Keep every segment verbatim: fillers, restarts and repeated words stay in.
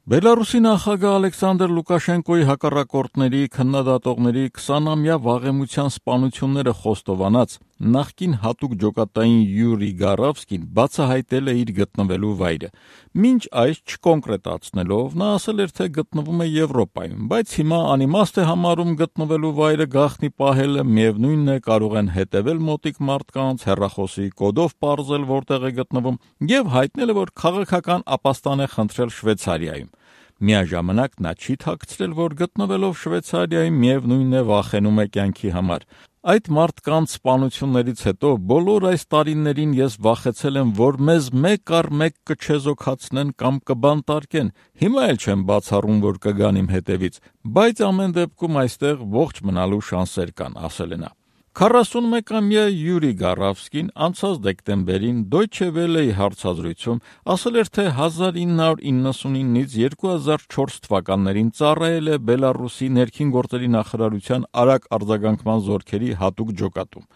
Բելարուսի նախագահ Ալեքսանդր Լուկաշենկոյի հակառակորդների քննադատողների քսանամյա վաղեմության սպանությունները խոստովանած նախկին հատուկ ջոկատային Յուրի Գարավսկին բացահայտել է իր գտնվելու վայրը։ Մինչ այս չկոնկրետացնելով նա ասել էր, թե գտնվում է Եվրոպայում, բայց հիմա անիմաստ է համարում գտնվելու վայրը գաղտնի պահելը, միևնույնն է կարող են հետևել մոտիկ մարդկանց, հեռախոսի կոդով պարզել որտեղ է գտնվում եւ հայտնել է, որ քաղաքական ապաստան է խնդրել Շվեյցարիայում։ Միաժամանակ նա չի թաքցրել, որ գտնվելով Շվեյցարիայում միևնույնն է վախենում է կյանքի համար։ Այդ մարդկանց սպանություններից հետո բոլոր այս տարիներին ես վախեցել եմ, որ մեզ մեկ առ մեկ կչեզոքացնեն կամ կբանտարկեն։ Հիմա էլ չեմ բացառում, որ կգան իմ հետևից, բայց ամեն դեպքում այստեղ ողջ մնալու շանսեր կան, ասել է նա։ քառասունմեկամյա Յուրի Գարավսկին անցած դեկտեմբերին Deutsche Welle-ի հարցազրույցում ասել էր, թե հազար ինը հարյուր իննսունինից երկու հազար չորս թվականներին ծառայել է Բելարուսի ներքին գործերի նախարարության արագ արձագանքման զորքերի հատուկ ջոկատում։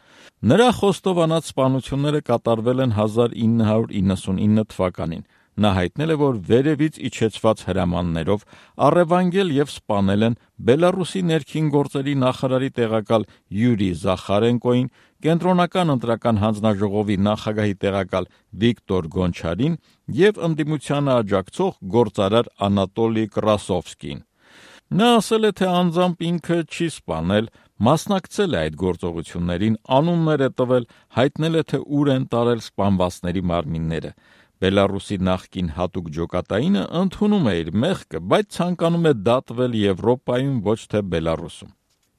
Նրա խոստովանած սպանությունները կատարվել են հազար ինը հարյուր իննսունինը թվականին։ Նա հայտնել է, որ վերևից իջեցված հրամաններով առևանգել եւ սպանել են Բելարուսի ներքին գործերի նախարարի տեղակալ Յուրի Զախարենկոին, կենտրոնական ընտրական հանձնաժողովի նախագահի տեղակալ Վիկտոր Գոնչարին եւ ընդդիմությանը աջակցող գործարար Անատոլի Կրասովսկին։ Նա ասել է, թե անձամբ ինքը չի սպանել, մասնակցել է այդ գործողություններին, անուններ է տվել, հայտնել է, թե ուր են տարել սպանվածների մարմինները։ Բելարուսի նախկին հատուկ ջոկատայինը ընդունում է իր մեղքը, բայց ցանկանում է դատվել Եվրոպայում, ոչ թե Բելարուսում։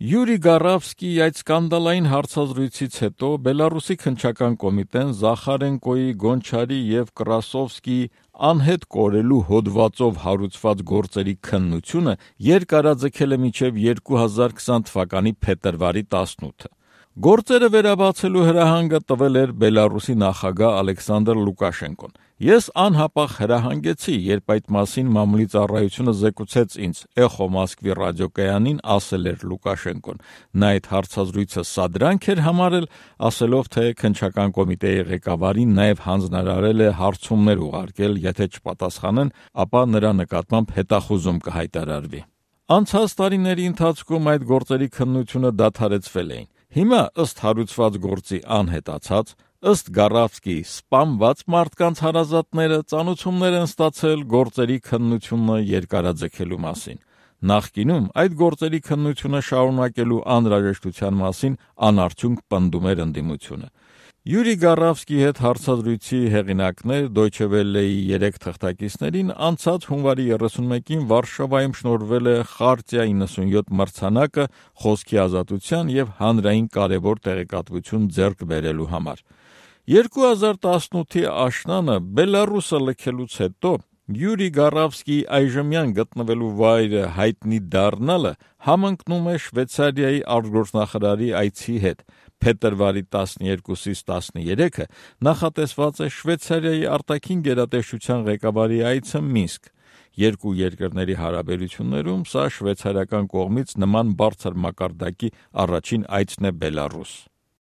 Յուրի Գարավսկիի այդ սկանդալային հարցազրույցից հետո Բելարուսի քննչական կոմիտեն Զախարենկոյի, Գոնչարի եւ Կրասովսկիի անհետ կորելու հոդվածով հարուցված գործերի քննությունը երկարաձգել է մինչև երկու հազար քսան թվականի փետրվարի տասնութը։ Գործերը վերաբացելու հրահանգը տվել էր Բելարուսի նախագահ Ալեքսանդր Լուկաշենկոն։ Ես անհապաղ հրահանգեցի, երբ այդ մասին մամուլի ծառայությունը զեկուցեց ինձ, Էխո Մոսկվի ռադիոկայանին ասել էր Լուկաշենկոն։ Նա այդ հարցազրույցը սադրանք էր համարել, ասելով, թե քննչական կոմիտեի ղեկավարին նաև հանձնարարել է հարցումներ ուղարկել, եթե չպատասխանեն, ապա նրա նկատմամբ հետախուզում կհայտարարվի։ Անցած տարիների ընթացքում այդ գործերի քննությունը դադարեցվել էին։ Հիմա ըստ հարուցված գործի անհետացած, ըստ Գարավսկիի սպանված մարդկանց հարազատները ծանոթություններ են ստացել գործերի քննությունը երկարաձգելու մասին։ Նախկինում այդ գործերի քննությունը շարունակելու անհրաժեշտության մասին անարդյունք պնդում էր ընդդիմությունը։ Յուրի Գարավսկիի հետ հարցազրույցի հեղինակներ Deutsche Welle-ի երեք թղթակիցներին անցած հունվարի երեսունմեկին Վարշավայում շնորհվել է Խարտիա իննսունյոթ մրցանակը խոսքի ազատության եւ հանրային կարեւոր տեղեկատվություն ձեռք բերելու համար։ երկու հազար տասնութի աշնանը Բելարուսը լքելուց հետո Յուրի Գարավսկիի այժմյան գտնվելու վայրը հայտնի դառնալը համընկնում է Շվեյցարիայի արտգործնախարարի այցի հետ։ Փետրվարի տասներկուսից տասներեքը նախատեսված է Շվեյցարիայի արտաքին գերատեսչության ղեկավարի այցը Մինսկ։ Երկու երկրների հարաբերություններում սա շվեյցարիական կողմից նման բարձր մակարդակի առաջին այցն է Բելարուս։